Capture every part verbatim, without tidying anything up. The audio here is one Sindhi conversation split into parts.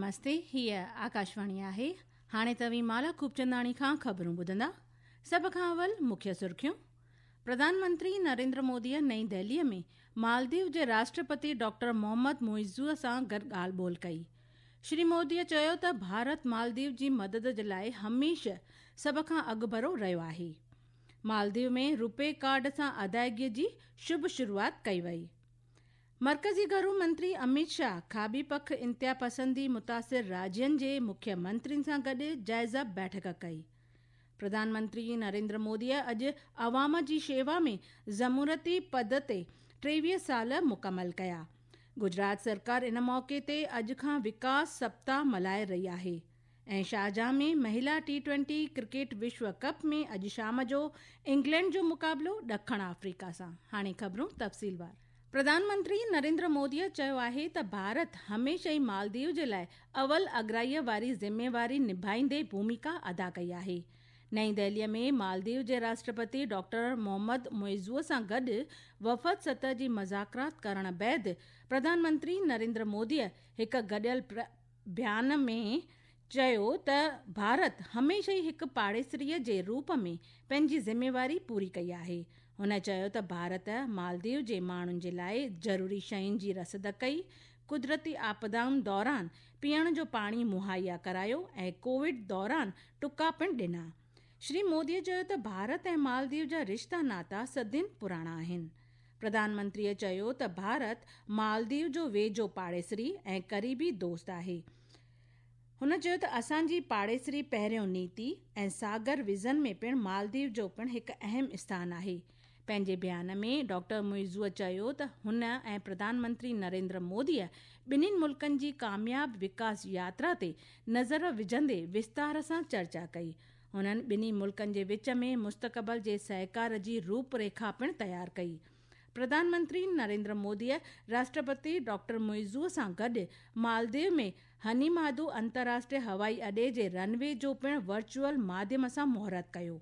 نمستي، هيءَ آڪاشواڻي آهي. هاڻي توهين مالا خوبچنداڻي کان خبرون ٻڌندا. سڀ کان اول مکيه سرخيون. پرڌان منتري نريندر موديءَ نئين دهليءَ ۾ مالديو جي راشٽرپتي ڊاڪٽر محمد معزو سان گڏ ڳالهه ٻولهه ڪئي. شري موديءَ چيو ته ڀارت مالديو جي مدد جي لاءِ هميشه سڀ کان اڳڀرو رهيو آهي. مالديو ۾ روپي ڪارڊ سان ادائگيءَ جي شڀ شروعات ڪئي وئي. مرڪزي گهرو منتري امت شاهه کاٻي پک انتها پسندي متاثر راجين جي مکيه منترين سان گڏ جائزه بيٺڪ ڪئي. پرڌان منتري نريندر موديءَ اڄ عوام جي شيوا ۾ جمهوريتي پد تي ٽيويهه سال مڪمل ڪيا. گجرات سرڪار ان موقعي تي اڄ کان وڪاس سپتاهه ملهائي رهي آهي. ۽ شارجه ۾ مهلا ٽي ٽوئنٽي ڪرڪيٽ وشو ڪپ ۾ اڄ شام جو انگلينڊ جو مقابلو ڏکڻ آفريڪا سان. هاڻي خبرون تفصيلوار. پرڌان منتري نريندر موديءَ چيو آهي ته ڀارت هميشه ئي مالديو جي لاءِ اول اڳرائيءَ واري ذميواري نڀائيندي ڀومڪا ادا ڪئي آهي. نئين دهليءَ ۾ مالديو جي راشٽرپتي ڊاڪٽر محمد معزو سان گڏ وفد سطح جي مذاڪرات ڪرڻ بعد پرڌان منتري نريندر موديءَ هڪ گڏيل بيان ۾ چيو ته ڀارت هميشه ئي هڪ پاڙيسريءَ جي روپ ۾ پنهنجي ذميواري پوري ڪئي آهي. هن چيو ته ڀارت مالديو جي ماڻهن جي لاءِ ضروري شين جي رسد ڪئي، قدرتي آپدائن دوران پيئڻ جو پاڻي مهيا ڪرايو ۽ ڪووڊ دوران ٽڪا پڻ ڏنا. شري موديءَ چيو ته ڀارت ۽ مالديو جا رشتا ناتا صدين پراڻا آهن. پرڌان منتريءَ چيو ته ڀارت مالديو جو ويجهو پاڙيسري ۽ قريبي دوست آهي. هن چيو ته اسان جي پاڙيسري پهريون نيتي ۽ ساگر ويزن ۾ پڻ مالديو جو پڻ هڪ اهم اسٿان آهي. پنهنجي بيان ۾ ڊاڪٽر معزو چيو ته هن ۽ پرڌان منتري نريندر موديءَ ٻنهي ملڪن جي ڪامياب وڪاس ياترا تي نظر وجهندي وستار سان چرچا ڪئي. هنن ٻنهي ملڪن جي وچ ۾ مستقبل جي سهڪار جي روپ ريکا پڻ تيار ڪئي. پرڌان منتري نريندر موديءَ راشٽرپتي ڊاڪٽر معزو سان گڏ مالديو ۾ هنيماڌو انترراشٽريه هوائي اڏي جي رن وي جو پڻ ورچوئل ماڌيم سان مهورت ڪيو.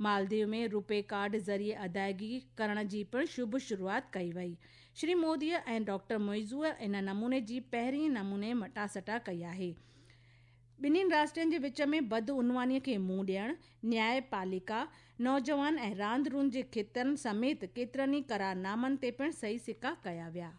مالديو ۾ روپي ڪارڊ ذريعي ادائگي ڪرڻ جي پڻ شڀ شروعات ڪئي وئي. شري موديءَ ۽ ڊاڪٽر معزو ان نموني جي پهرين نموني مٽاسٽا ڪئي آهي. ٻنهي راشٽرن جي وچ ۾ بدعنوانيءَ کي منهن ڏيڻ، نيايپاليڪا، نوجوان ۽ راند روند جي کيترن سميت ڪيترن ئي قرارنامن تي پڻ صحيح سڪا ڪيا ويا.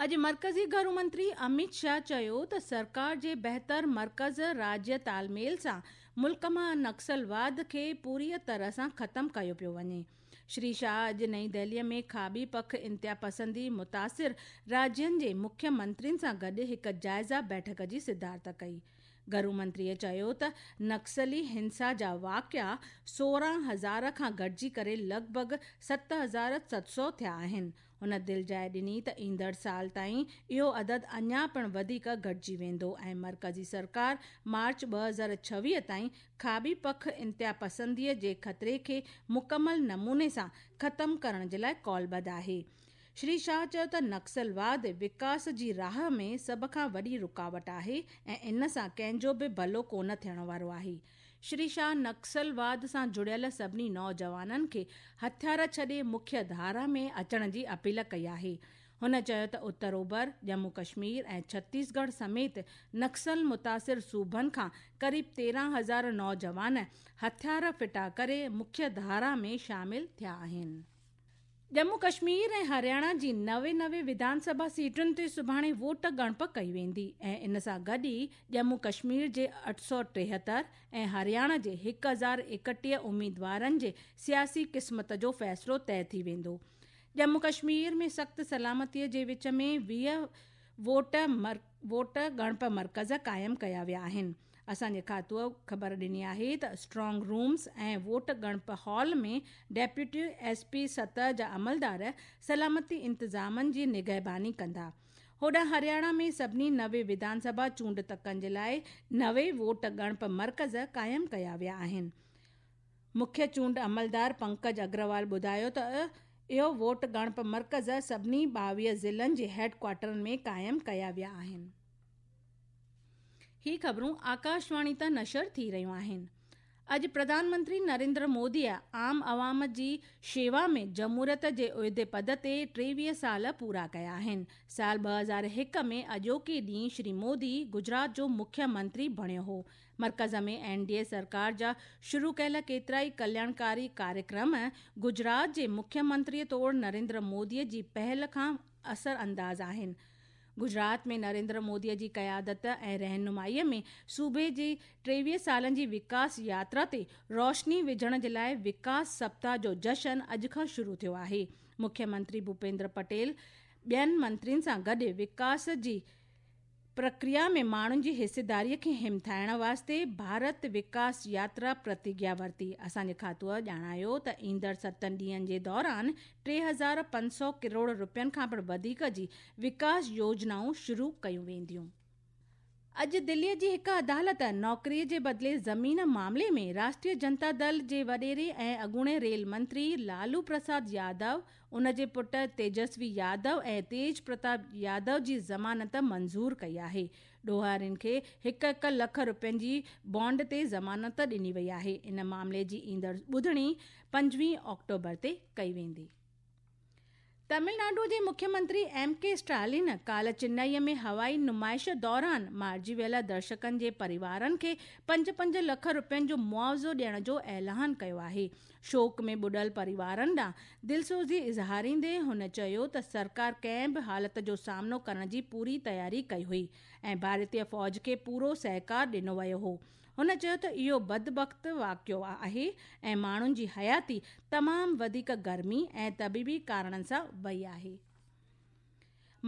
اڄ مرڪزي گهرو منتري امت شاهه چيو ته سرڪار جي بهتر مرڪز راجيه تال ميل سان ملڪ مان نڪسلواد کي پوريءَ طرح سان ختم ڪيو پيو وڃي. شري شاهه اڄ نئين دهليءَ ۾ کاٻي پک انتها پسندي متاثر راجين جي مکيه منترين سان گڏ هڪ جائزه بيٺڪ جي صدارت ڪئي. گهرو منتريءَ چيو ته نڪسلي هنسا جا واقعا سورهن هزار کان گهٽجي ڪري لڳ ڀڳ ست هزار ست سؤ ٿيا آهن. هن دلجاءِ ڏني ته ايندڙ سال تائين اهو عدد اڃا پڻ وڌيڪ گهٽجي ويندو ۽ مرڪزي سرڪار مارچ ٻه هزار ڇويهه تائين کاٻي پک انتها پسنديءَ جي خطري کي مڪمل نموني سان ختم ڪرڻ جي لاءِ ڪالبڌ آهي. شري شاهه چيو ته نڪسلواد وڪاس جي راهه ۾ سڀ کان وڏي رڪاوٽ آهي ۽ ان سان ڪنهن جو به ڀلو ڪونه ٿيڻ وارو آهي. شري شاهه نڪسلواد سان جڙيل سڀني نوجوانن کي هٿيار ڇڏي مکيه ڌارا ۾ اچڻ جي اپيل ڪئي آهي. هن چيو ته اتر اوڀر، ڄمون ڪشمير ۽ ڇتيسڳڙهه سميت نڪسل متاثر صوبن کان قريب تيرهن هزار نوجوان هٿيار ڦٽا ڪري مکيه ڌارا ۾ شامل ٿيا آهن. ڄمون ڪشمير ۽ هرياڻا جي نوي نوي وڌان سڀا سيٽن تي سڀاڻي ووٽ ڳڻپ ڪئي ويندي ۽ ان سان گڏ ئي ڄمون ڪشمير جي اٺ سؤ ٽيهتر ۽ هرياڻا جي هڪ هزار ايڪٽيهه اميدوارن جي سياسي قسمت جو فيصلو طئي ٿي ويندو. ڄمون ڪشمير ۾ سخت سلامتيءَ جي وچ ۾ ويهه ووٽ ووٽ ڳڻپ مرڪز قائم ڪيا ويا آهن. اسان جي کاتوءَ خبر ڏني آهي ته اسٽرانگ رومز ۽ ووٽ ڳڻپ هال ۾ ڊپٽي ايس پي سطح جا عملدار سلامتي انتظامن جي نگهباني ڪندا. هوڏانهن هرياڻا ۾ سڀني نوي وڌان سڀا چونڊ تڪن جي لاءِ نوي ووٽ ڳڻپ مرڪز قائم ڪيا ويا آهن. مکيه چونڊ عملدار پنڪج اگروال ٻڌايو ته اهو ووٽ ڳڻپ مرڪز سڀني ٻاويهه ضلعن جي هيڊ ڪوارٽرن ۾ قائم ڪيا ويا آهن. هي خبرون آڪاشواڻي تان نشر ٿي رهيون آهن. اڄ پرڌان منتري نريندر موديءَ عام عوام جي شيوا ۾ جمهوريت جي عهدي پد تي ٽيويهه سال پورا ڪيا آهن. سال ٻه هزار هڪ ۾ اڄوڪي ڏينهن شري مودي گجرات جو مکيه منتري بڻيو هو. مرڪز ۾ اين ڊي اي سرڪار جا شروع ڪيل ڪيترائي ڪلياڻڪاري ڪاريڪرم گجرات جي مکيه منتري طور نريندر موديءَ جي پهل کان اثر انداز آهن. گجرات ۾ نريندر موديءَ جي قيادت ۽ رهنمائيءَ ۾ صوبي جي ٽيويهه سالن جي وڪاس ياترا تي روشني وجهڻ جي لاءِ وڪاس سپتاهه جو جشن اڄ کان شروع ٿيو آهي. مکيه منتري ڀوپيندر پٽيل ٻين منترين سان گڏ وڪاس جي پرڪريا ۾ ماڻهن جي حصيداريءَ کي همٿائڻ واسطي ڀارت وڪاس ياترا پرتگيا ورتي. اسان جي کاتوءَ ڄاڻايو ته ايندڙ ستن ڏينهن جي دوران ٽي هزار پنج سؤ ڪروڙ رپين کان پڻ وڌيڪ جي وڪاس يوجنائون شروع ڪيون وينديون. اڄ دليءَ جي هڪ عدالت نوڪريءَ جي بدلي زمين معاملي ۾ راشٽريه جنتا دل جي وڏيري ۽ اڳوڻي ريل منتري لالو پرساد يادو، ان جي پٽ تيجسوي يادو ۽ تيج پرتاپ يادو جي ضمانت منظور ڪئي آهي. ڏوهارين کي هڪ هڪ لک رپين جي بانڊ تي ضمانت ڏني وئي آهي. ان معاملي جي ايندڙ ٻڌڻي پنجويهه آڪٽوبر تي ڪئي ويندي. تامل ناڊو جي مکيه منتري ايم ڪي اسٽالن ڪالهه چنائيءَ ۾ هوائي نمائش دوران مارجي ويل درشڪن جي پريوارن کي پنج پنج لک رپين جو معاوضو ڏيڻ جو اعلان ڪيو آهي. شوڪ ۾ ٻڏل پريوارن ڏانهن دلسوزي اظهاريندي هن چيو ته سرڪار ڪنهن به حالت جو سامنو ڪرڻ جي پوري تياري ڪئي هئي ۽ ڀارتيه فوج کي پورو سهڪار ڏنو ويو هو. هن چيو ته اهو بدبخت واقعو آهي ۽ ماڻهن جي حياتي تمام وڌيڪ گرمي ۽ طبيبي ڪارڻن سان وئي آهي.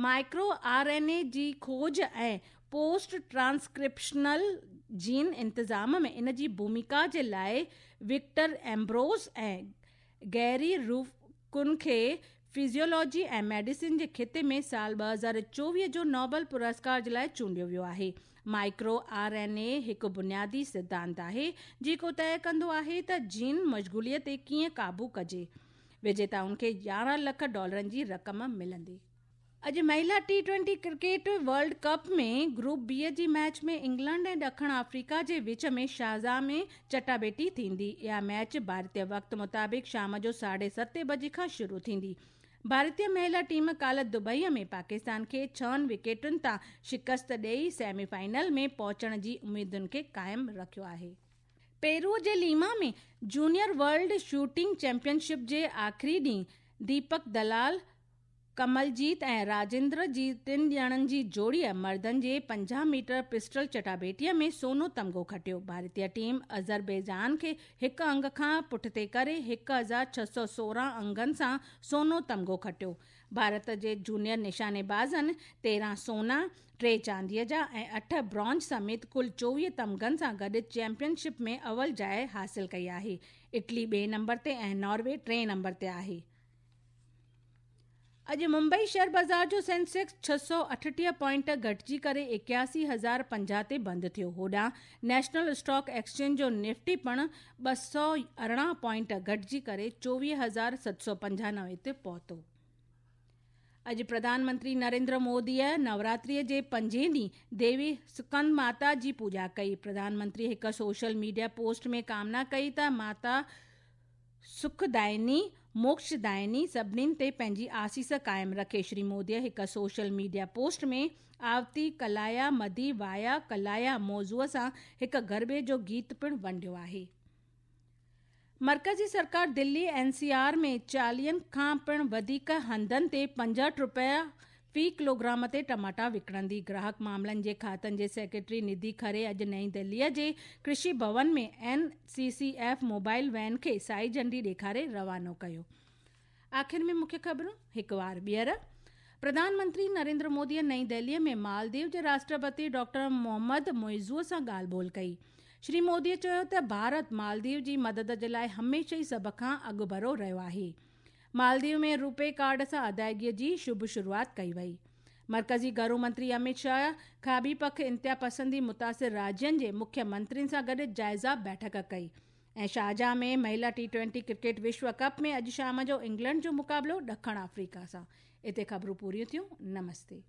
مائڪرو آر اين اي جي کوج ۽ پوسٽ ٽرانسڪرپشنل جين انتظام ۾ ان جي ڀومڪا جي لاءِ وڪٽر ايمبروز ۽ گيري روفڪن کي فزيولاجي ۽ ميڊيسن جي خطي ۾ سال ٻه هزار چوويهه جو نوبل پرسڪار جي لاءِ چونڊيو ويو آهي. مائڪرو آر اين اي هڪ بنيادي سڌانت آهي جيڪو طئي ڪندو آهي ته جين مشغوليءَ تي ڪيئن قابو ڪجي. وجيتائن کي يارهن لک ڊالرن جي رقم ملندي. اڄ مهلا T twenty cricket world cup ۾ group B جي ميچ ۾ انگلينڊ ۽ ڏکڻ آفريڪا جي وچ ۾ شارجا ۾ چٽاڀيٽي ٿيندي. اها ميچ ڀارتيه وقت مطابق شام جو ساڍي ستين بجي کان شروع ٿيندي. ڀارتيه مهلا ٽيم ڪالهه دبئيءَ ۾ پاڪستان کي ڇهن وڪيٽن تان شڪست ڏيئي سيمي فائنل ۾ پهچڻ جي اميدن کي قائم رکيو آهي. پيرو جي Lima ۾ junior world shooting championship جي آخري ڏينهن ديپڪ دلال، ڪملجيت ۽ راجيندر جي ٽن ڄڻن جي جوڙيءَ مردن جي پنجاهه ميٽر پسٽل چٽاڀيٽيءَ ۾ سونو تمغو کٽيو. ڀارتيه ٽيم آذربائيجان کي هڪ انگ کان پٺتي ڪري هڪ هزار ڇهه سؤ سورهن انگن سان سونو تمغو کٽيو. ڀارت جي جونيئر نشانيبازن تيرهن سونا، ٽي چانديءَ جا ۽ اٺ برونز سميت ڪل چوويهه تمغن سان گڏ چيمپئن شپ ۾ اول جاءِ حاصل ڪئي آهي. اٽلي ٻئي نمبر تي ۽ ناروي ٽئين نمبر تي آهي. اڄ ممبئي شيئر بازار جو سينسيڪس ڇهه سؤ اٺٽيهه پوائنٽ گهٽجي ڪري ايڪاسي هزار پنجاهه تي بند ٿيو. هوڏانهن نيشنل اسٽاڪ ايڪسچينج جو نفٽي پڻ ٻه سؤ ارڙهن پوائنٽ گهٽجي ڪري چوويهه هزار ست سؤ پنجانوي تي پهتو. اڄ پرڌان منتري نريندر موديءَ نوراتريءَ جي پنجين ڏينهن ديوي سڪند ماتا جي پوڄا ڪئي. پرڌان منتري هڪ سوشل ميڊيا پوسٽ ۾ ڪامنا ڪئي ته ماتا سکدائني موڪشدائني سڀنين تي پنهنجي آسيس قائم رکي. شري موديءَ هڪ سوشل ميڊيا پوسٽ ۾ آوتي ڪلايا مدي وايا ڪلايا موضوع سان هڪ گربي جو گيت پڻ ونڊيو آهي. مرڪزي سرڪار دلي اين سي آر ۾ چاليهن کان پڻ وڌيڪ هنڌن تي پنجهٺ رپيا في ڪلوگرام تي ٽماٽا وڪڻندي. گراهڪ معاملن جي کاتن جي سيڪريٽري نڌي کري اڄ نئين دليءَ جي ڪرشي ڀون ۾ N C C F mobile van کي سائي جهنڊي ڏيکاري روانو ڪيو. آخر ۾ مکيه خبرون هڪ وار ٻيهر. پرڌان منتري نريندر موديءَ نئين دليءَ ۾ مالديو جي راشٽرپتي ڊاڪٽر محمد معزو سان ڳالهه ٻولهه ڪئي. شري موديءَ چيو ته ڀارت مالديو جي مدد جي لاءِ هميشه ئي سڀ کان اڳڀرو رهيو آهي. مالديو ۾ روپي ڪارڊ سان ادائگيءَ جي شڀ شروعات ڪئي وئي. مرڪزي گهرو منتري امت شاهه کاٻي پک انتها پسندي متاثر راجين جي مکيه منترين سان گڏ جائزه بيٺڪ ڪئي. ۽ شارجا ۾ مهلا ٽي ٽوئنٽي ڪرڪيٽ وشو ڪپ ۾ اڄ شام جو انگلينڊ جو مقابلو ڏکڻ آفريڪا سان. هتي خبرون پوريون ٿيون. نمستي.